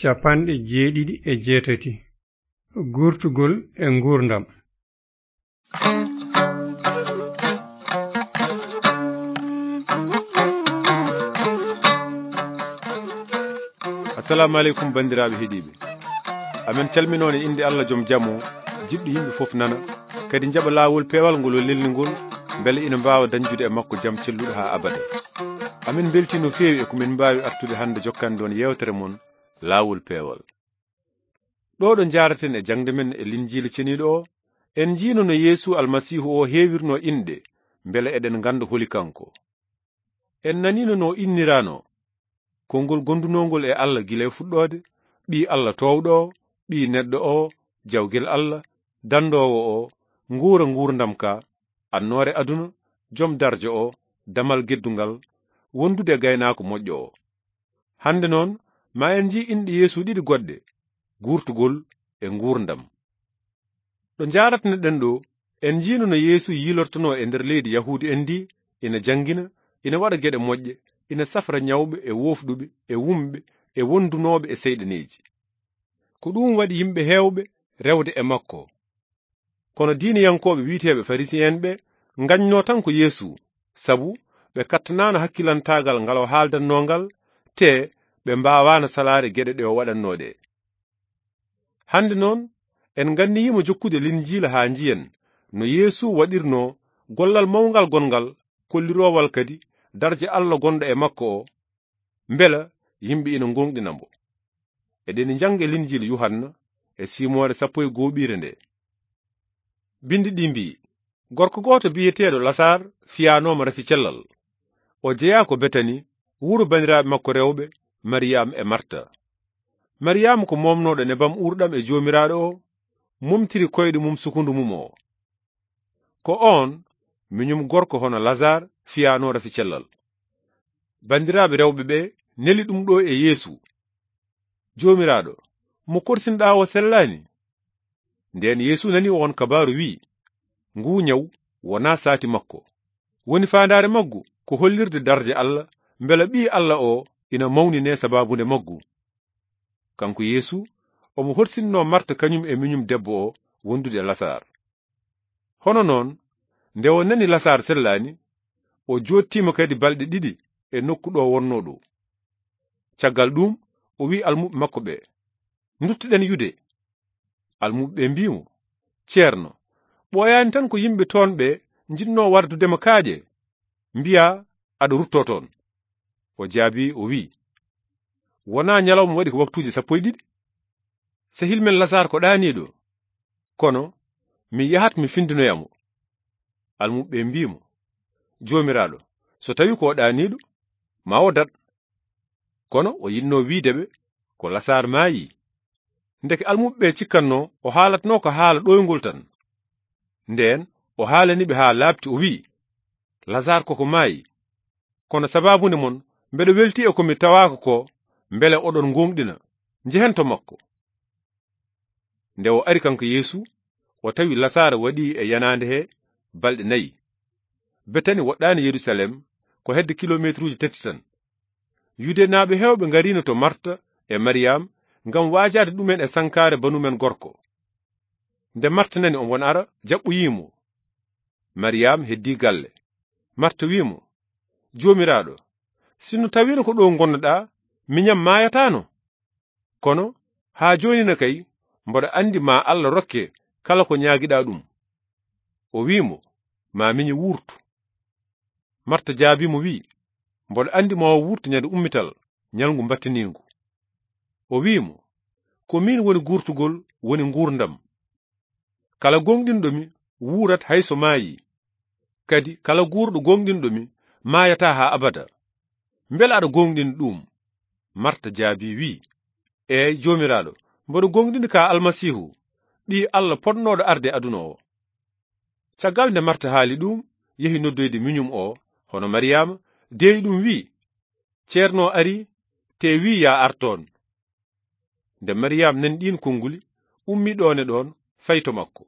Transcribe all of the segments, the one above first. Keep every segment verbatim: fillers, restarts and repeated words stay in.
Capanɗe jeeɗiɗi e jeetati. Guurtugol e nguurndam. Assalamu aleykum, banndiraaɓe heɗiiɓe. Amen calminoo e innde Allah, joom jam o, jiɗɗo yimɓe fof nana, kadi njaɓa laawol peewal ngol o lelni ngol, mbele ina mbaawa dañjude e makko jam celluɗo haa abada. Amen mbeltii no feewi e ko min mbaawi artude hannde jokkande on yeewtere mon, Laawol Peewal. Ɗo ɗo njaaraten e jaŋde men e Linjiila Ceniiɗo o, en njiino no Yeesu Almasiihu o heewirnoo inɗe, mbele eɗen ngannda holi kanko. En naniino no o inniraanoo, konngol gondunoongol e Allah gila e fuɗɗoode, Ɓii Allah toowɗo o, Ɓii neɗɗo o, Jawgel Allah, Danndoowo o, Nguura nguurndam ka, Annoore aduna, Joom darja o, Damal geddungal, wondude e Gaynaako moƴƴo o. Hannde noon, ma en njii inɗe Yeesu ɗiɗi goɗɗe, guurtugol e nguurndam. Ɗo njaaraten ɗo, en njiino no Yeesu yiilortonoo e nder leydi Yahuudu en ndi, ina janngina, ina waɗa geɗe moƴƴe, ina safra ñawɓe e woofɗuɓe e wumɓe e wondunooɓe e seyɗaneeji. Ko ɗum waɗi yimɓe heewɓe rewde e makko. Kono diineyankooɓe wiyeteeɓe Farisi'en ɓe ngañnoo tan ko Yeesu, sabu ɓe kattanaano hakkilantaagal ngal o haaldannoo ngal, te ɓe mbaawaano salaade geɗe ɗe o waɗannoo ɗe. Hannde noon, en nganniyiima jokkude Linjiila haa njiyen no Yeesu waɗirnoo gollal mawngal gonngal, kolliroowal kadi darja Allah gonɗo e makko o, mbela yimɓe ina ngooŋɗina mbo. Eɗen njannga e Linjiila Yuhanna e siimoore sappo e gooɓiire nde. Binndi ɗi mbiyi, gorko gooto biyeteeɗo Lasaar fiyaanooma rafi cellal. O jeyaa ko Betani, wuro banndiraaɓe makko rewɓe, Mariyam e Marta. Mariyam ko momnooɗo nebam uurɗam e Joomiraaɗo o, momtiri koyɗe mum sukundu mum o. Ko oon, miñum gorko hono Lasaar fiyaanoo rafi cellal. Banndiraaɓe rewɓe ɓe neli ɗum ɗo e Yeesu. Joomiraaɗo, mo korsinɗaa o sellaani. Ndeen Yeesu nani oon kabaaru, wi'i, nguu ñaw wonaa saati makko. Woni faandaare maggu ko hollirde darja Allah, mbela Ɓii Allah o ina mawninee sabaabu nde maggu. Kanko Yeesu, omo horsinnoo Marta kañum e miñum debbo o wondude e Lasaar. Hono noon, nde o nani Lasaar sellaani, o joottiima kadi balɗe ɗiɗi e nokku ɗo wonnoo ɗo. Caggal ɗuum, o wi'i almuɓɓe makko ɓe, nduttoɗen yude. Almuɓɓe ɓe mbi'i mo, ceerno, ɓooyaani tan ko yimɓe toon ɓe njiɗnoo wardude ma kaaƴe, mbiyaa aɗa ruttoo toon. O jaabii, o wi'i, wonaa ñalawma waɗi ko waktuuji sappo e ɗiɗi? Sehil men Lasaar ko ɗaaniiɗo, kono mi yahat mi findinoya mo. Almuɓɓe ɓe mbi'i mo, Joomiraaɗo, so tawi ko o ɗaaniiɗo, ma o daɗ. Kono o yiɗnoo wiide ɓe ko Lasaar maayii. Ndeke almuɓɓe ɓe cikkatnoo o haalatnoo ko haala ɗoyngol tan. Ndeen o haalani ɓe haa laaɓti, o wi'i, Lasaar koko maayi. Kono sabaabunde mon, mbeɗo weltii e ko mi tawaaka ko, mbele oɗon ngooŋɗina. Njehen to makko. Nde o ari kanko Yeesu, o tawi Lasaara waɗii e yanaande he balɗe nayi. Betani woɗɗaani Yerusalem, ko hedde kilomeetruuji tati tan. Yudenaaɓe heewɓe ngariino to Marta e Mariyam ngam waajaade ɗumen e sankaare banumen gorko. Nde Marta nani omo ara, jaɓɓoyii mo. Mariyam heddii galle. Marta wi'i mo, Joomiraaɗo, sinno tawiino ko ɗo ngonnoɗaa, miñam maayataano. Kono haa jooni ne kay, mboɗo anndi ma Allah rokke kala ko ñaagiɗaa ɗum. O wi'i mo, ma miñi wuurtu. Marta jaabii mo, wi'i, mboɗo anndi ma o wuurtu ñande ummital, ñalngu mbattiniingu. O wi'i mo, ko miin woni guurtugol, woni nguurndam. Kala gooŋɗinɗo mi wuurat hay so maayii. Kadi kala guurɗo gooŋɗinɗo mi maayataa haa abada. Mbela aɗa gooŋɗini ɗum? Marta jaabii, wi'i, eey, Joomiraaɗo, mboɗo gooŋɗini ka Almasiihu, Ɓii Allah potnooɗo arde aduna o. Caggal nde Marta haali ɗum, yehi noddoyde miñum o, hono Mariyama, deeyi ɗum, wi'i, ceerno o arii, te wi'i yaa ar toon. Nde Mariyama nani ɗiin konnguli, ummii ɗoon e ɗoon, fayi to makko.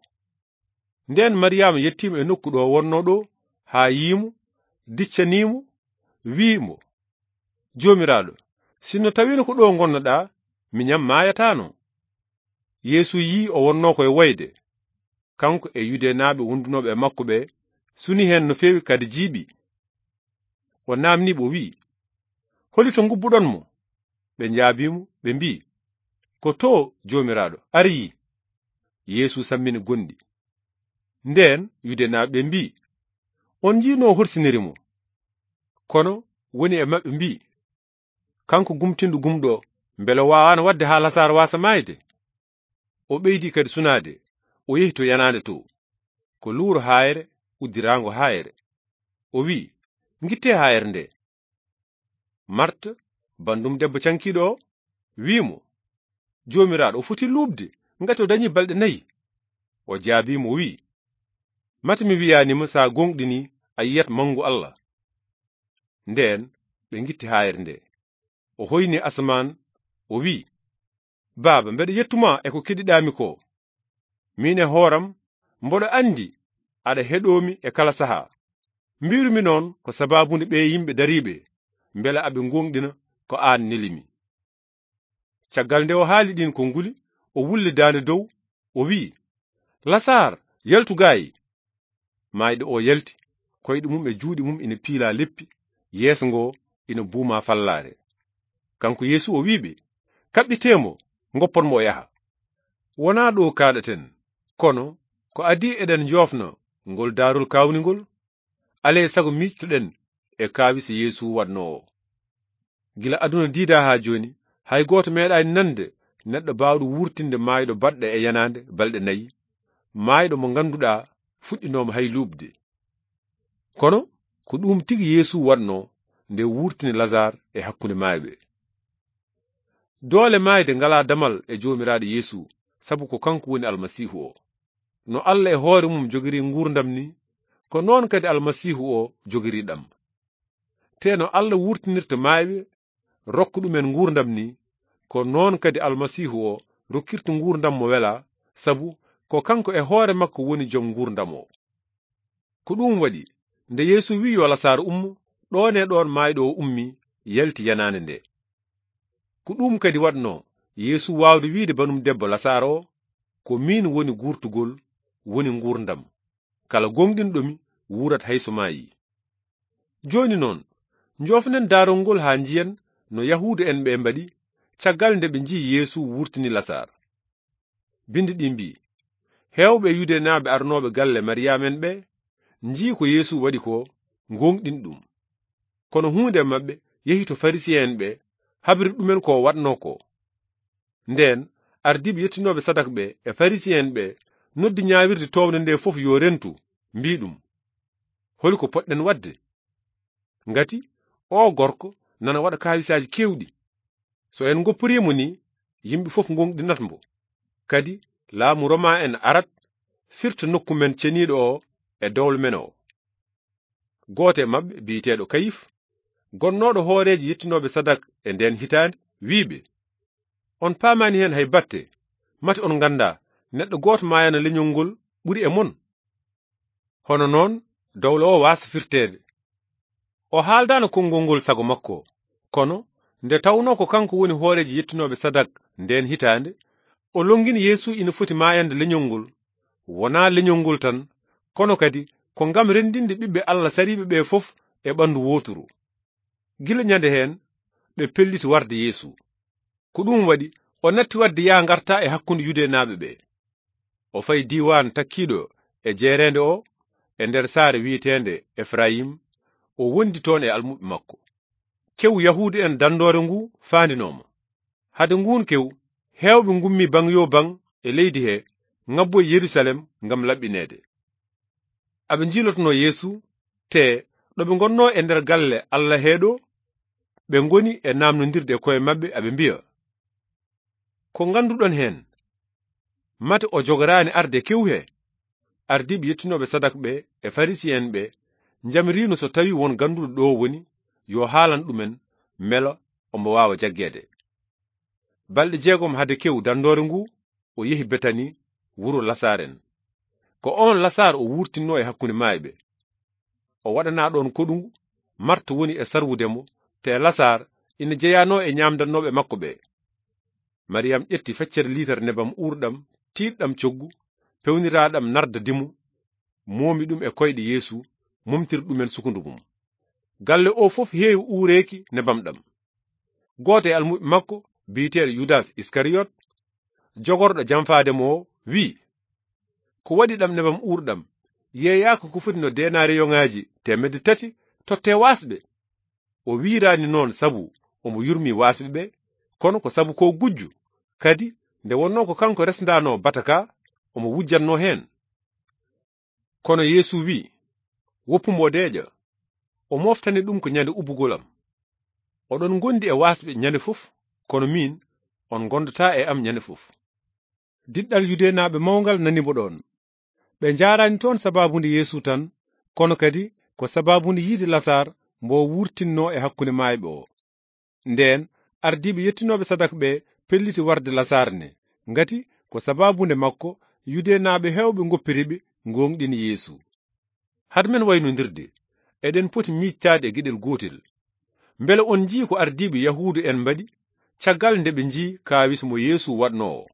Ndeen Mariyama yettiima e nokku ɗo wonnoo ɗo, haa yii mo, diccanii mo, wi'i mo, Joomiraaɗo, sinno tawiino ko ɗo ngonnoɗaa, miñam maayataano. Yeesu yii o wonnoo ko e woyde, kanko e Yudenaaɓe wondunooɓe e makko ɓe, suni heen no feewi kadi jiiɓi. O naamnii ɓe, o wi'i, "Holi to ngubbuɗon mo?" Ɓe njaabii mo, ɓe mbi'i, "Ko to Joomiraaɗo, ari yii." Yeesu sammini gonɗi. Ndeen Yudenaaɓe ɓe mbi'i, "On njiinoo horsiniri mo?" Kono woni e maɓɓe mbi'i, "Kanko gumtinɗo gumɗo, mbele o waawaano waɗde haa Lasaar waasa maayde?" O ɓeydi kadi sunaade, o yehi to yanaande to, ko luuro haayre uddiraango haayre. O wi'i, "Ngittee haayre nde." Marta, bandum debbo cankiiɗo o, wi'i mo, "Joomiraaɗo, o foti luuɓde, ngati o dañi balɗe nayi." O jaabii mo, o wi'i, "Mate mi wi'aani ma, so a gooŋɗinii, a yiyat manngu Allah." Ndeen ɓe ngitti haayre nde. O hoyni asamaan, o wi'i, "Baaba, mbeɗa yettu ma e ko keɗiɗaami ko. Miin e hooram, mboɗo anndi aɗa heɗoo mi e kala sahaa. Mbiiru mi noon ko sabaabu nde ɓee yimɓe dariiɓe, mbela aɓe gooŋɗina ko aan neli mi." Caggal nde o haali ɗiin konnguli, o wulli daande dow, o wi'i, "Lasaar, yaltu gaayi." Maayɗo o yalti, koyɗe mum e juuɗe mum ina piila leppi, yeeso ngo ina buuma fallaare. Kanko Yeesu o wi'i ɓe, "Kaɓɓitee mo, ngoppon mo o yaha." Wonaa ɗo kaaɗaten, kono ko adii eɗen njoofna ngol daarol kaawningol, alee sago miijtoɗen e kaawise Yeesu waɗnoo o. Gila aduna diidaa haa jooni, hay gooto meeɗaani nande neɗɗo baawɗo wuurtinde maayɗo baɗɗo e yanaande balɗe nayi, maayɗo mo ngannduɗaa fuɗɗinooma hay luuɓde. Kono ko ɗum tigi Yeesu waɗnoo nde wuurtini Lasaar e hakkunde maayɓe. Doole maayde ngalaa damal e Joomiraaɗo Yeesu, sabu ko kanko woni Almasiihu o. No Allah e hoore mum jogiri nguurndam ni, ko noon kadi Almasiihu o jogiri ɗam. Te no Allah wurtinirta maayɓe, rokka ɗumen nguurndam ni, ko noon kadi Almasiihu o rokkirta nguurndam mo welaa, sabu ko kanko e hoore makko woni jom nguurndam o. Ko ɗum waɗi, nde Yeesu wi'i yo Lasaar ummo, ɗoon e ɗoon maayɗo o ummi, yalti yanaande nde. Ko ɗum kadi waɗnoo Yeesu waawde wi'de banum debbo Lasaar o, "Ko miin woni guurtugol, woni nguurndam. Kala gooŋɗinɗo mi wuurat hay so maayii." Jooni noon, njoofonen daarol ngol haa njiyen no Yahuudu'en ɓe mbaɗi caggal nde ɓe nji'i Yeesu wuurtini Lasaar. Binndi ɗi mbi'i, heewɓe e Yudenaaɓe arnooɓe galle Mariyaamen ɓe, nji'i ko Yeesu waɗi ko, ngooŋɗini ɗum. Kono huunde e maɓɓe yehi to Farisiye'en ɓe, habri ɗumen ko o waɗnoo ko. Ndeen, ardiiɓe yettinooɓe sadak ɓe e Farisiye'en ɓe noddi ñaawirde toowde nde fof yo rentu, mbi'i ɗum, "Holi ko potɗen waɗde? Ngati oo gorko nana waɗa kaawisaaji keewɗi. So en ngopporii mo ni, yimɓe fof ngooŋɗinat mbo. Kadi laamu Roma en arat, firta nokku men ceniiɗo o e dowlo men o." Gooto e maɓɓe, biyeteeɗo Kayif, gonnooɗo hooreejo yettinooɓe sadak e ndeen hitaande, wi'i ɓe, "On paamaani heen hay batte, mate on nganndaa neɗɗo gooto maayana leñol ngol ɓuri e mon? Hono noon dowlo o waasa firteede." O haaldaano konngol ngol sago makko, kono nde tawnoo ko kanko woni hooreejo yettinooɓe sadak ndeen hitaande, o lonngini Yeesu ina foti maayande leñol ngol, wonaa leñol ngol tan, kono kadi ko ngam renndinde ɓiɓɓe Allah sariiɓe ɓe fof e ɓanndu wooturu. Gila ñande heen, ɓe pelliti warde Yeesu. Ko ɗum waɗi o natti waɗde yaa ngarta e hakkunde Yudenaaɓe ɓe. O fayi diiwaan takkiiɗo e jeereende o, e nder saare wiyeteende Efrayim, o wondi toon e almuɓɓe makko. Kewu Yahuudu'en danndoore ngu faandinoo mo. Hade nguun kewu, heewɓe ngummi baŋ yo baŋ e leydi he, ngabboyi Yerusalem ngam laɓɓineede. Aɓe njiilotonoo Yeesu, te ɗo ɓe ngonnoo e nder galle Allah he ɗo, ɓe ngoni e naamnondirde e koye maɓɓe, aɓe mbiya, "Ko ngannduɗon heen? Mate o jogoraani arde kewu he?" Ardiiɓe yettinooɓe sadak ɓe e Farisiye'en ɓe njamiriino so tawi won gannduɗo ɗo woni, yo haalan ɗumen, mbela omo waawa jaggeede. Balɗe jeegom hade kewu danndoore ngu, o yehi Betani, wuro Lasaaren. Ko oon Lasaar o wuurtinnoo e hakkunde maayɓe. O waɗanaa ɗoon koɗungu, Marta woni e sarwude mo, te Lasaar ina jeyanoo e ñaamdannooɓe makko ɓe. Mariyam ƴetti feccere liitar nebam uurɗam, tiiɗɗam coggu, pewniraaɗam narda dimu, moomi ɗum e koyɗe Yeesu, momtiri ɗumen sukundu mum. Galle o fof heewi uureeki nebam ɗam. Gooto e almuɓɓe makko, biyeteeɗo Yudas Iskariyot, jogorɗo jamfaade mo o, wi'i, "Ko waɗi ɗam nebam uurɗam, yeeyaaka ko foti no deenaariyoŋaaji teemedde tati tottee waasɓe?" O wiiraani noon sabu omo yurmii waasɓe ɓe, kono ko sabu ko gujjo, kadi nde wonnoo ko kanko resndaanoo bata ka, omo wujjatnoo heen. Kono Yeesu wi'i, "Woppu mo deeƴa." O moftani ɗum ko ñande ubbugol am. Oɗon ngondi e waasɓe ñande fof, kono miin, on ngondataa e am ñande fof. Diɗɗal Yudeenaaɓe mawngal nani mbo ɗoon. Ɓe njaaraani toon sabaabu nde Yeesu tan, kono kadi ko sabaabu nde yiide Lasaar mbo wuurtinnoo e hakkunde maayɓe o. Ndeen, ardiiɓe yettinooɓe sadak ɓe pelliti warde Lasaar ne, ngati ko sabaabu nde makko Yudeenaaɓe heewɓe ngoppiri ɓe, ngooŋɗini Yeesu. Hade men waynondirde, eɗen poti miijtaade e geɗel gootel. Mbele on njii ko ardiiɓe Yahuudu en mbaɗi caggal nde ɓe njii kaawis mo Yeesu waɗnoo o?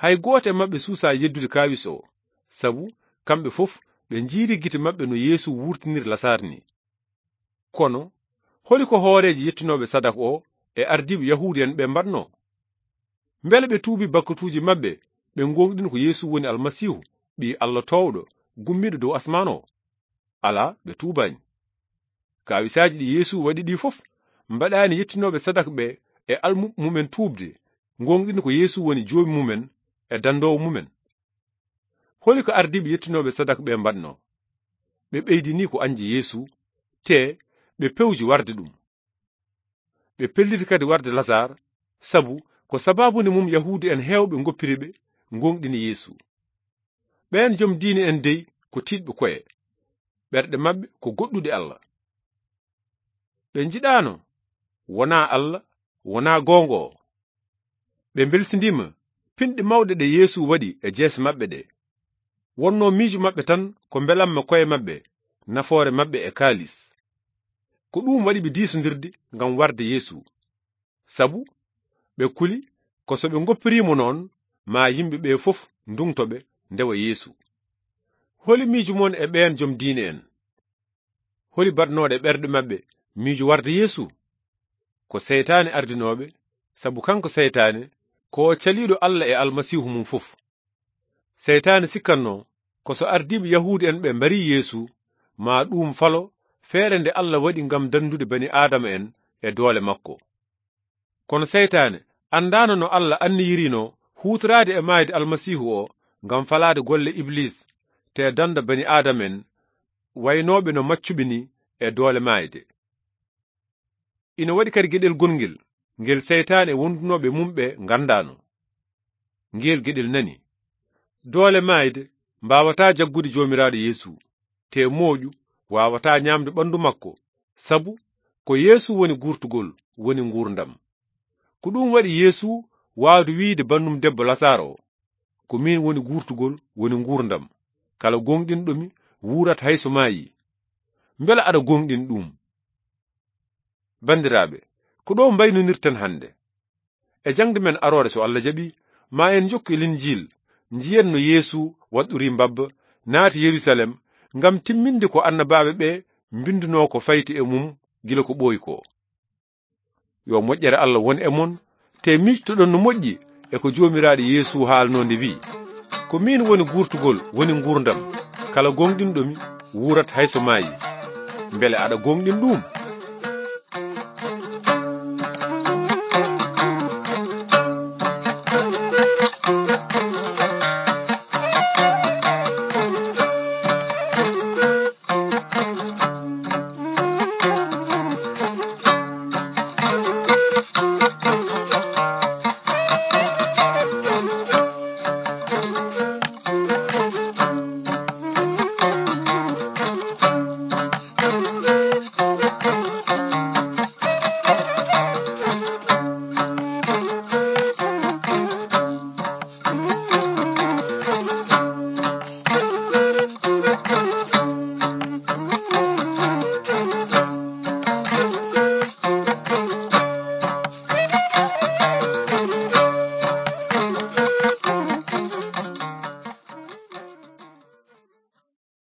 Hay gooto e maɓɓe suusaa yeddude kaawis o, sabu kamɓe fof ɓe njiiri gite maɓɓe no Yeesu wuurtiniri Lasaar ni. Kono, holi ko hooreejo yettinooɓe sadak o e ardiiɓe Yahuudu en ɓe mbaɗnoo? Mbele ɓe tuubi bakkatuuji maɓɓe, ɓe ngooŋɗini ko Yeesu woni Almasiihu, Ɓii Alla toowɗo, gummiiɗo dow asmaan o? Alaa, ɓe tuubaani. Kaawisaaji ɗi Yeesu waɗi ɗi fof, mbaɗaani yettinooɓe sadak ɓe e almuɓɓe mumen tuubde, ngooŋɗini ko Yeesu woni Joomi mumen e danndoowo mumen. Holi ko ardiiɓe yettinooɓe sadak ɓe mbaɗnoo? Ɓe ɓeydini ko añde Yeesu, te ɓe pewji warde ɗum. Ɓe pelliti kadi warde Lasaar, sabu ko sabaabu nde mum Yahuudu en heewɓe ngoppiri ɓe, ngooŋɗini Yeesu. Ɓeen jom diine en dey ko tiiɗɓe koye, ɓerɗe maɓɓe ko goɗɗude Alla. Ɓe njiɗaano, wonaa Alla, wonaa goongo o. Ɓe mbelsindiima pinɗe mawɗe ɗe Yeesu waɗi e jeese maɓɓe ɗe. Wonnoo miijo maɓɓe tan ko mbelamma koye maɓɓe, nafoore maɓɓe e kaalis. Ko ɗum waɗi ɓe diisondirde ngam warde Yeesu. Sabu ɓe kuli ko so ɓe ngoppiriimo noon, maa yimɓe ɓe fof ndungto ɓe ndewa Yeesu. Holi miijo mon e ɓeen jom diine en? Holi baɗnooɗe ɓerɗe maɓɓe miijo warde Yeesu? Ko seytaane ardinooɓe, sabu kanko seytaane ko o caliiɗo Alla e Almasiihu mum fof. Seytaane sikkatnoo ko so ardiiɓe Yahuudu en ɓe mbarii Yeesu, maa ɗuum falo feere nde Alla waɗi ngam danndude bani Aadama en e doole makko. Kono seytaane anndaano no Alla anniyiriino huutoraade e maayde Almasiihu o ngam falaade golle Ibliis, te dannda bani Aadama en waynooɓe no maccuɓe ni e doole maayde. Ina waɗi kadi geɗel gongel, ngel seytaane wondunooɓe mum ɓe nganndaano. Ngeel geɗel nani. Doole maayde mbaawataa jaggude Joomiraaɗo Yeesu, te mooƴu waawataa ñaamde ɓanndu makko, sabu ko Yeesu woni guurtugol, woni nguurndam. Ko ɗum waɗi Yeesu waawde wiyde bannum debbo Lasaaro o, "Ko miin woni guurtugol, woni nguurndam. Kala gooŋɗinɗo mi wuurat hay so maayii." Mbela aɗa gooŋɗin ɗum? Banndiraaɓe, ko ɗo mbaynonirten hannde. E jaŋde men aroore, so Allah jaɓi, ma en njokku e Linjiil, njiyen no Yeesu waɗɗori mbabba, naati Yerusalem, ngam timminde ko annabaaɓe ɓe mbinduno ko fayti e mum gila ko ɓooyi ko. Yo moƴƴere Allah won e mon, te miijtoɗon no moƴƴi e ko Joomiraaɗo Yeesu haalno nde wi'i, "Ko miin woni guurtugol, woni nguurndam. Kala gooŋɗinɗo mi wuurat hay so maayi." Mbele aɗa gooŋɗin ɗum?